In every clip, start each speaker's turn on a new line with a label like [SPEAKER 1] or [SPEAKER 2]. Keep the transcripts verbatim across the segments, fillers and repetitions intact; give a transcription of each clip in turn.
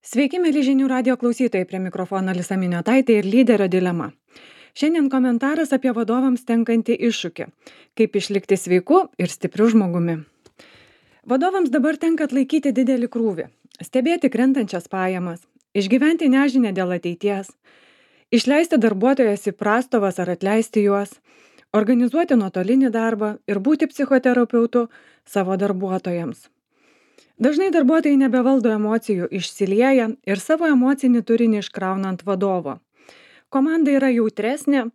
[SPEAKER 1] Sveiki, mėly žinių radio klausytojai, prie mikrofono Alisa Miniotaitė ir lyderio dilema. Šiandien komentaras apie vadovams tenkantį iššūkį - kaip išlikti sveiku ir stipriu žmogumi. Vadovams dabar tenka atlaikyti didelį krūvį, stebėti krentančias pajamas, išgyventi nežinę dėl ateities, išleisti darbuotojas į prastovas ar atleisti juos, organizuoti nuotolinį darbą ir būti psichoterapeutu savo darbuotojams. Dažnai darbuotojai nebevaldo emocijų, išsilieja ir savo emocinį turinį iškrauna ant vadovo. Komanda yra jautresnė,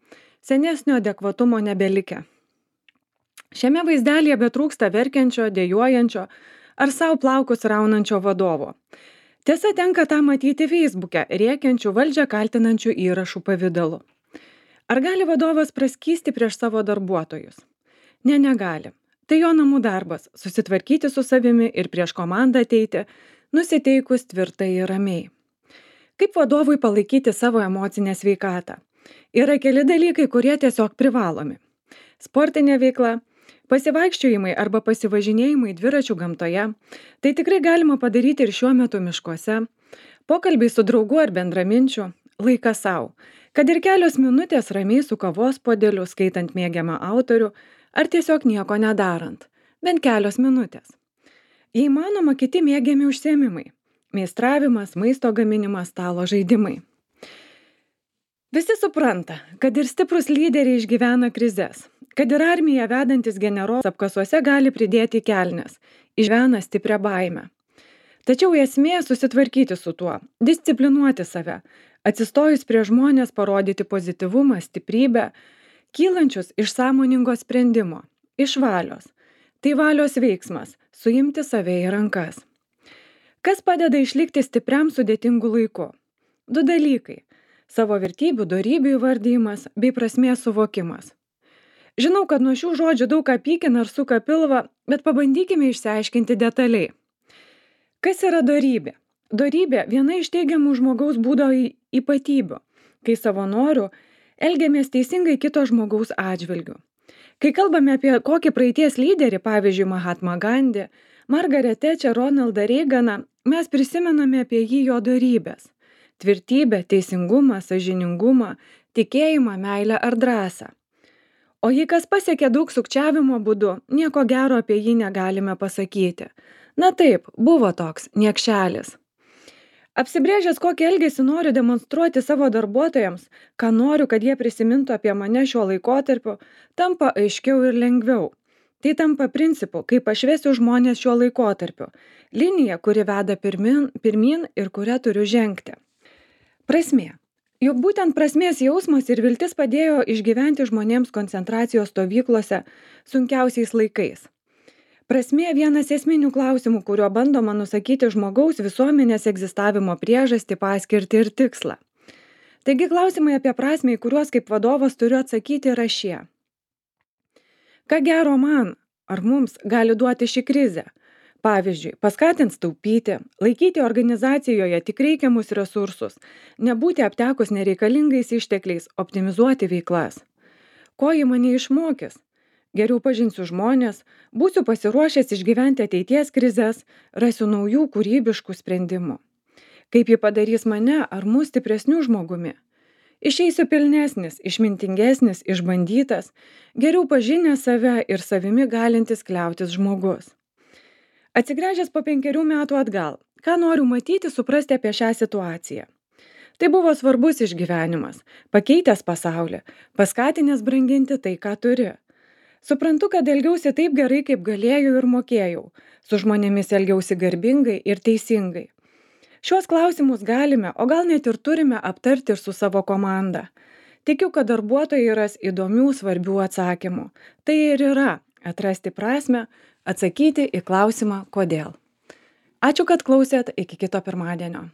[SPEAKER 1] senesnio adekvatumo nebelikę. Šiame vaizdelėje betrūksta verkiančio, dejuojančio ar savo plaukus raunančio vadovo. Tiesa, tenka tą matyti Facebook'e, rėkiančių valdžią kaltinančių įrašų pavidalu. Ar gali vadovas praskysti prieš savo darbuotojus? Ne, negali. Tai jo namų darbas - susitvarkyti su savimi ir prieš komandą ateiti, nusiteikus tvirtai ir ramiai. Kaip vadovui palaikyti savo emocinę sveikatą? Yra keli dalykai, kurie tiesiog privalomi. Sportinė veikla, pasivaikščiojimai arba pasivažinėjimai dviračių gamtoje. Tai tikrai galima padaryti ir šiuo metu miškuose. Pokalbiai su draugu ar bendraminčiu, laikas savo. Kad ir kelios minutės ramiai su kavos puodeliu, skaitant mėgiamą autorių, ar tiesiog nieko nedarant. Bent kelios minutės. Jei manoma, kiti mėgiami užsiėmimai. Meistravimas, maisto gaminimas, stalo žaidimai. Visi supranta, kad ir stiprus lyderiai išgyvena krizes. Kad ir armija vedantis generolas apkasuose gali pridėti kelnes. Išgyvena stiprią baimę. Tačiau esmė susitvarkyti su tuo, disciplinuoti save, atsistojus prie žmonės parodyti pozityvumą, stiprybę, kylančius iš sąmoningo sprendimo, iš valios. Tai valios veiksmas - suimti save į rankas. Kas padeda išlikti stipriam sudėtingu laiku? Du dalykai - savo vertybių, dorybių įvardyjimas bei prasmės suvokimas. Žinau, kad nuo šių žodžių daug ką pykina ar suka pilvą, bet pabandykime išsiaiškinti detaliai. Kas yra dorybė? Dorybė - viena iš teigiamų žmogaus būdo ypatybių, kai savo noru elgiamės teisingai kito žmogaus atžvilgiu. Kai kalbame apie kokį praeities lyderį, pavyzdžiui, Mahatma Gandhi, Margaret Thatcher, Ronaldą Reiganą, mes prisimename apie jį jo dorybės - tvirtybę, teisingumą, sąžiningumą, tikėjimą, meilę ar drąsą. O jei kas pasiekė daug sukčiavimo būdu, nieko gero apie jį negalime pasakyti. Na taip, buvo toks niekšelis. Apsibrėžęs, kokį elgesį noriu demonstruoti savo darbuotojams, ką noriu, kad jie prisimintų apie mane šiuo laikotarpiu, tampa aiškiau ir lengviau. Tai tampa principu, kaip aš vesiu žmonės šiuo laikotarpiu. Linija, kuri veda pirmin, pirmin ir kurią turiu žengti. Prasmė. Juk būtent prasmės jausmas ir viltis padėjo išgyventi žmonėms koncentracijos stovyklose sunkiausiais laikais. Prasmė vienas esminių klausimų, kuriuo bandoma nusakyti žmogaus visuomenės egzistavimo priežastį, paskirtį ir tikslą. Taigi klausimai apie prasmę, į kuriuos kaip vadovas turiu atsakyti, yra šie. Ką gero man ar mums gali duoti ši krizė? Pavyzdžiui, paskatins taupyti, laikyti organizacijoje tik reikiamus resursus, nebūti aptekus nereikalingais ištekliais, optimizuoti veiklas. Ko ji mane išmokys? Geriau pažinsiu žmonės, būsiu pasiruošęs išgyventi ateities krizes, rasiu naujų kūrybiškų sprendimų. Kaip ji padarys mane ar mus stipresnių žmogumi? Išeisiu pilnesnis, išmintingesnis, išbandytas, geriau pažinęs save ir savimi galintis kliautis žmogus. Atsigręžęs po penkerių metų atgal, ką noriu matyti, suprasti apie šią situaciją. Tai buvo svarbus išgyvenimas, pakeitęs pasaulį, paskatinęs branginti tai, ką turi. Suprantu, kad elgiausi taip gerai, kaip galėjau ir mokėjau. Su žmonėmis elgiausi garbingai ir teisingai. Šiuos klausimus galime, o gal net ir turime aptarti ir su savo komanda. Tikiu, kad darbuotojai ras įdomių, svarbių atsakymų. Tai ir yra atrasti prasmę, atsakyti į klausimą kodėl. Ačiū, kad klausėt, iki kito pirmadienio.